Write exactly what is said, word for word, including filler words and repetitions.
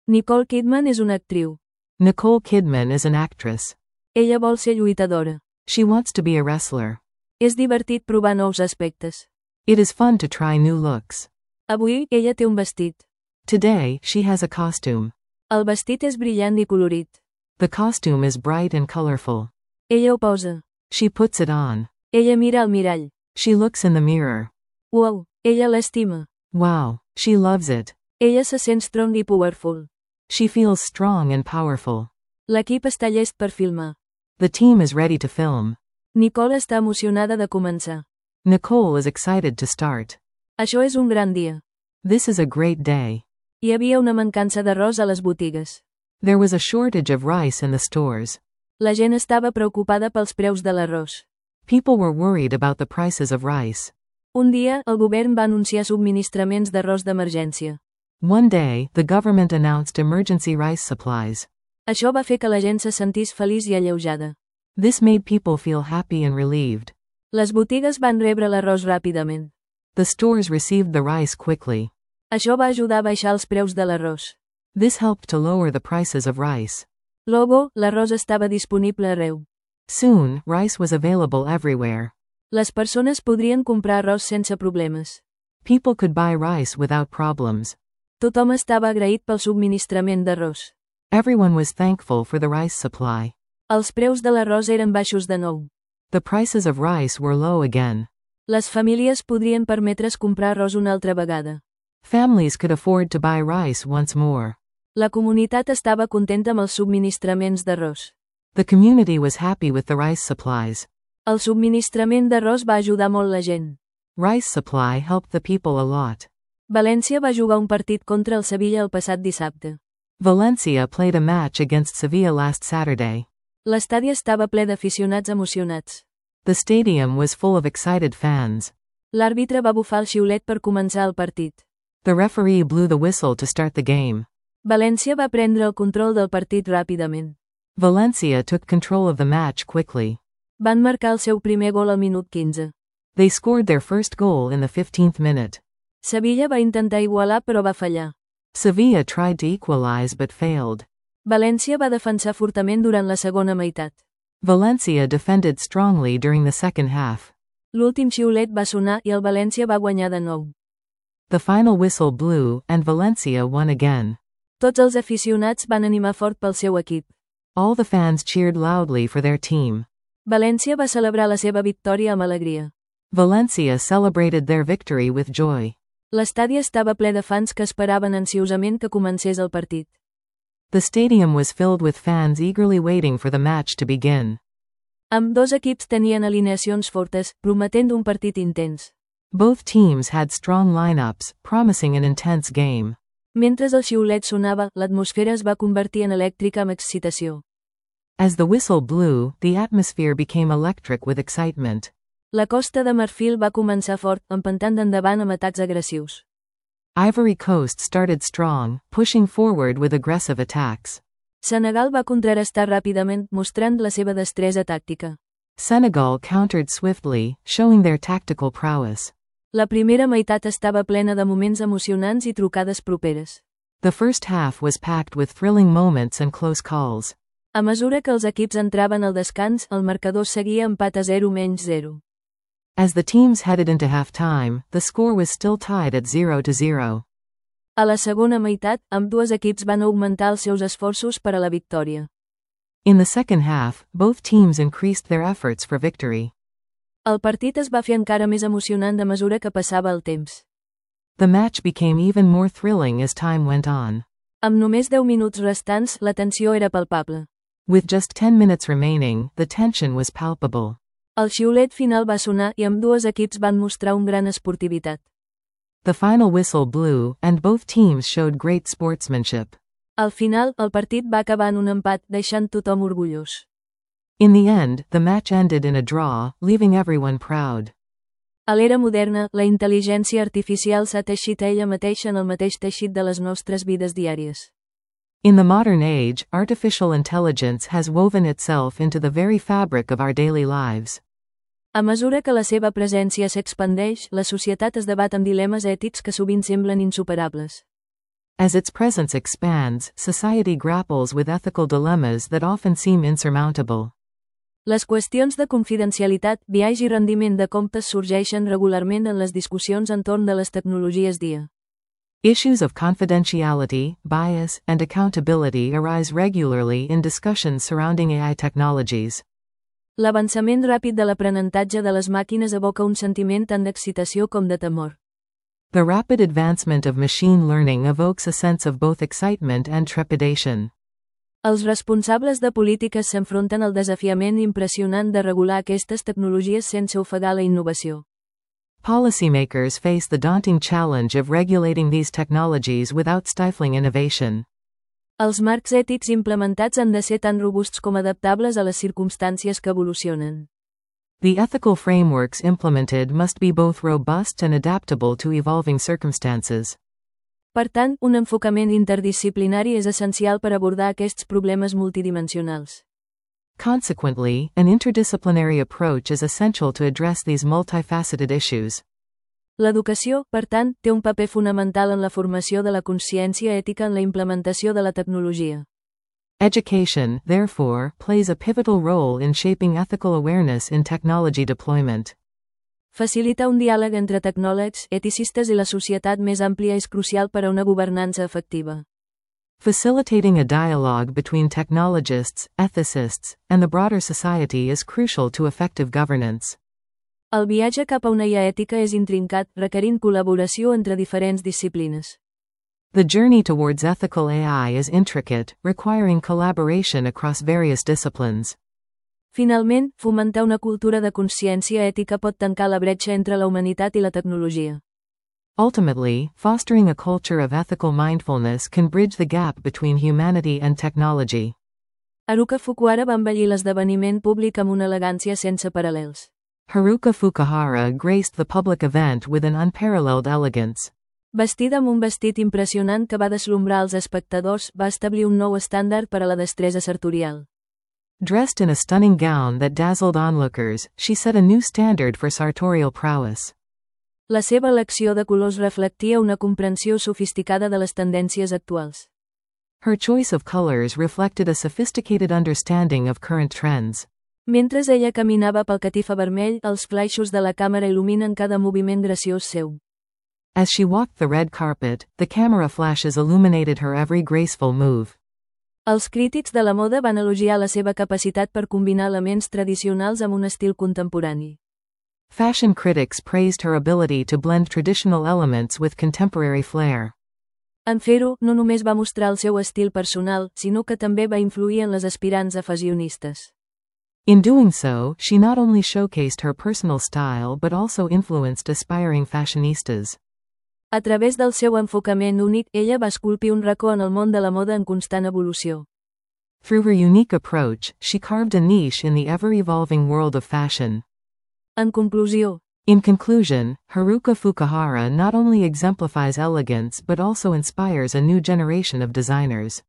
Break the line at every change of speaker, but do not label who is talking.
Nicole Kidman és una actriu.
Nicole Kidman is an actress.
Ella vol ser lluitadora.
She wants to be a wrestler.
És divertit provar nous aspectes.
It is fun to try new looks.
Avui, ella té un vestit.
Today, she has a costume.
El vestit és brillant i colorit.
The costume is bright and colorful.
Ella ho posa.
She puts it on.
Ella mira al mirall.
She looks in the mirror.
Wow, ella l'estima.
Wow, she loves it.
Ella se sent strong i powerful.
She feels strong and powerful.
L'equip està llest per filmar.
The team is ready to film.
Nicole està emocionada de començar.
Nicole is excited to start.
Això és un gran dia.
This is a great day.
Hi havia una mancança d'arròs a les botigues.
There was a shortage of rice in the stores.
La gent estava preocupada pels preus de l'arròs.
People were worried about the prices of rice.
Un dia, el govern va anunciar subministraments d'arròs d'emergència.
One day, the government announced emergency rice supplies.
Això va fer que la gent se sentís feliç i alleujada.
This made people feel happy and relieved.
Les botigues van rebre l'arròs ràpidament.
The stores received the rice quickly.
Això va ajudar a baixar els preus de l'arròs.
This helped to lower the prices of rice.
Logo, l'arròs estava disponible arreu.
Soon, rice was available everywhere.
Les persones podrien comprar arròs sense problemes.
People could buy rice without problems.
Tothom estava agraït pel subministrament d'arròs.
Everyone was thankful for the rice supply.
Els preus de l'arròs eren baixos de nou.
The prices of rice were low again.
Les famílies podrien permetre's comprar arròs una altra vegada.
Families could afford to buy rice once more.
La comunitat estava contenta amb els subministraments d'arròs.
The community was happy with the rice supplies.
El subministrament d'arròs va ajudar molt la gent.
Rice supply helped the people a lot.
València va jugar un partit contra el Sevilla el passat dissabte.
Valencia played a match against Sevilla last Saturday.
L'estadi estava ple d'aficionats emocionats.
The stadium was full of excited fans.
L'àrbitre va bufar el xiulet per començar el partit.
The referee blew the whistle to start the game.
València va prendre el control del partit ràpidament.
Valencia took control of the match quickly.
Van marcar el seu primer gol al minut quinze.
They scored their first goal in the fifteenth minute.
Sevilla va intentar igualar però va fallar.
Sevilla tried to equalize but failed.
València va defensar fortament durant la segona meitat.
Valencia defended strongly during the second half.
L'últim xiulet va sonar i el València va guanyar de nou.
The final whistle blew, and Valencia won again.
Tots els aficionats van animar fort pel seu equip.
All the fans cheered loudly for their team.
València va celebrar la seva victòria amb alegria.
Valencia celebrated their victory with joy.
L'estadi estava ple de fans que esperaven ansiosament que comencés el partit.
The stadium was filled with fans eagerly waiting for the match to begin.
Ambdós equips tenien alineacions fortes, prometent un partit intens.
Both teams had strong lineups, promising an intense game.
Mentre el xiulet sonava, l'atmosfera es va convertir en elèctrica amb excitació.
As the whistle blew, the atmosphere became electric with excitement.
La Costa de Marfil va començar fort, empentant endavant amb atacs agressius.
Ivory Coast started strong, pushing forward with aggressive attacks.
Senegal va contrarestar ràpidament, mostrant la seva destresa tàctica.
Senegal countered swiftly, showing their tactical prowess.
La primera meitat estava plena de moments emocionants i trucades properes.
The first half was packed with thrilling moments and close calls.
A mesura que els equips entraven al descans, el marcador seguia empat a zero menys zero.
As the teams headed into halftime, the score was still tied at zero to zero.
A la segona meitat, ambdues equips van augmentar els seus esforços per a la victòria.
In the second half, both teams increased their efforts for victory.
El partit es va fer encara més emocionant a mesura que passava el temps.
The match became even more thrilling as time went on.
Amb només deu minuts restants, la tensió era palpable.
With just ten minutes remaining, the tension was palpable.
El xiulet final va sonar i ambdues equips van mostrar un gran esportivitat.
The final whistle blew, and both teams showed great sportsmanship.
Al final, el partit va acabar en un empat, deixant tothom orgullós.
In the end, the match ended in a draw, leaving everyone proud.
A l'era moderna, la intel·ligència artificial s'ha teixit ella mateixa en el mateix teixit de les nostres vides diàries.
In the modern age, artificial intelligence has woven itself into the very fabric of our daily lives.
A mesura que la seva presència s'expandeix, la societat es debat amb dilemes ètics que sovint semblen insuperables.
As its presence expands, society grapples with ethical dilemmas that often seem insurmountable.
Les qüestions de confidencialitat, biaix i rendiment de comptes sorgeixen regularment en les discussions entorn de les tecnologies dia.
Issues of confidentiality, bias, and accountability arise regularly in discussions surrounding A I technologies.
L'avançament ràpid de l'aprenentatge de les màquines evoca un sentiment tant d'excitació com de temor.
The rapid advancement of machine learning evokes a sense of both excitement and trepidation.
Els responsables de polítiques s'enfronten al desafiament impressionant de regular aquestes tecnologies sense ofegar la innovació.
Policymakers face the daunting challenge of regulating these technologies without stifling innovation.
Els marcs ètics implementats han de ser tan robusts com adaptables a les circumstàncies que evolucionen.
The ethical frameworks implemented must be both robust and adaptable to evolving circumstances.
Per tant, un enfocament interdisciplinari és essencial per abordar aquests problemes multidimensionals.
Consequently, an interdisciplinary approach is essential to address these multifaceted issues.
L'educació, per tant, té un paper fonamental en la formació de la consciència ètica en la implementació de la tecnologia.
Education, therefore, plays a pivotal role in shaping ethical awareness in technology deployment.
Facilitar un diàleg entre tecnòlegs, eticistes i la societat més àmplia és crucial per a una governança efectiva.
Facilitating a dialogue between technologists, ethicists, and the broader society is crucial to effective governance.
El viatge cap a una I A ètica és intrincat, requerint col·laboració entre diferents disciplines.
The journey towards ethical A I is intricate, requiring collaboration across various disciplines.
Finalment, fomentar una cultura de consciència ètica pot tancar la bretxa entre la humanitat i la tecnologia.
Ultimately, fostering a culture of ethical mindfulness can bridge the gap between humanity and technology.
Haruka Fukuhara va embellir l'esdeveniment públic amb una elegància sense paral·lels.
Haruka Fukuhara graced the public event with an unparalleled elegance.
Vestida amb un vestit impressionant que va deslumbrar els espectadors, va establir un nou estàndard per a la destresa sartorial.
Dressed in a stunning gown that dazzled onlookers, she set a new standard for sartorial prowess.
La seva elecció de colors reflectia una comprensió sofisticada de les tendències actuals.
Her choice of colors reflected a sophisticated understanding of current trends.
Mentre ella caminava pel catifa vermell, els flaixos de la càmera il·luminen cada moviment graciós seu.
As she walked the red carpet, the camera flashes illuminated her every graceful move.
Els crítics de la moda van elogiar la seva capacitat per combinar elements tradicionals amb un estil contemporani.
Fashion critics praised her ability to blend traditional elements with contemporary flair.
En fer-ho, no només va mostrar el seu estil personal, sinó que també va influir en les aspirants a fashionistes.
In doing so, she not only showcased her personal style but also influenced aspiring fashionistas.
A través del seu enfocament únic, ella va esculpir un racó en el món de la moda en constant evolució.
Through her unique approach, she carved a niche in the ever-evolving world of fashion.
En conclusió,
In conclusion, Haruka Fukuhara not only exemplifies elegance but also inspires a new generation of designers.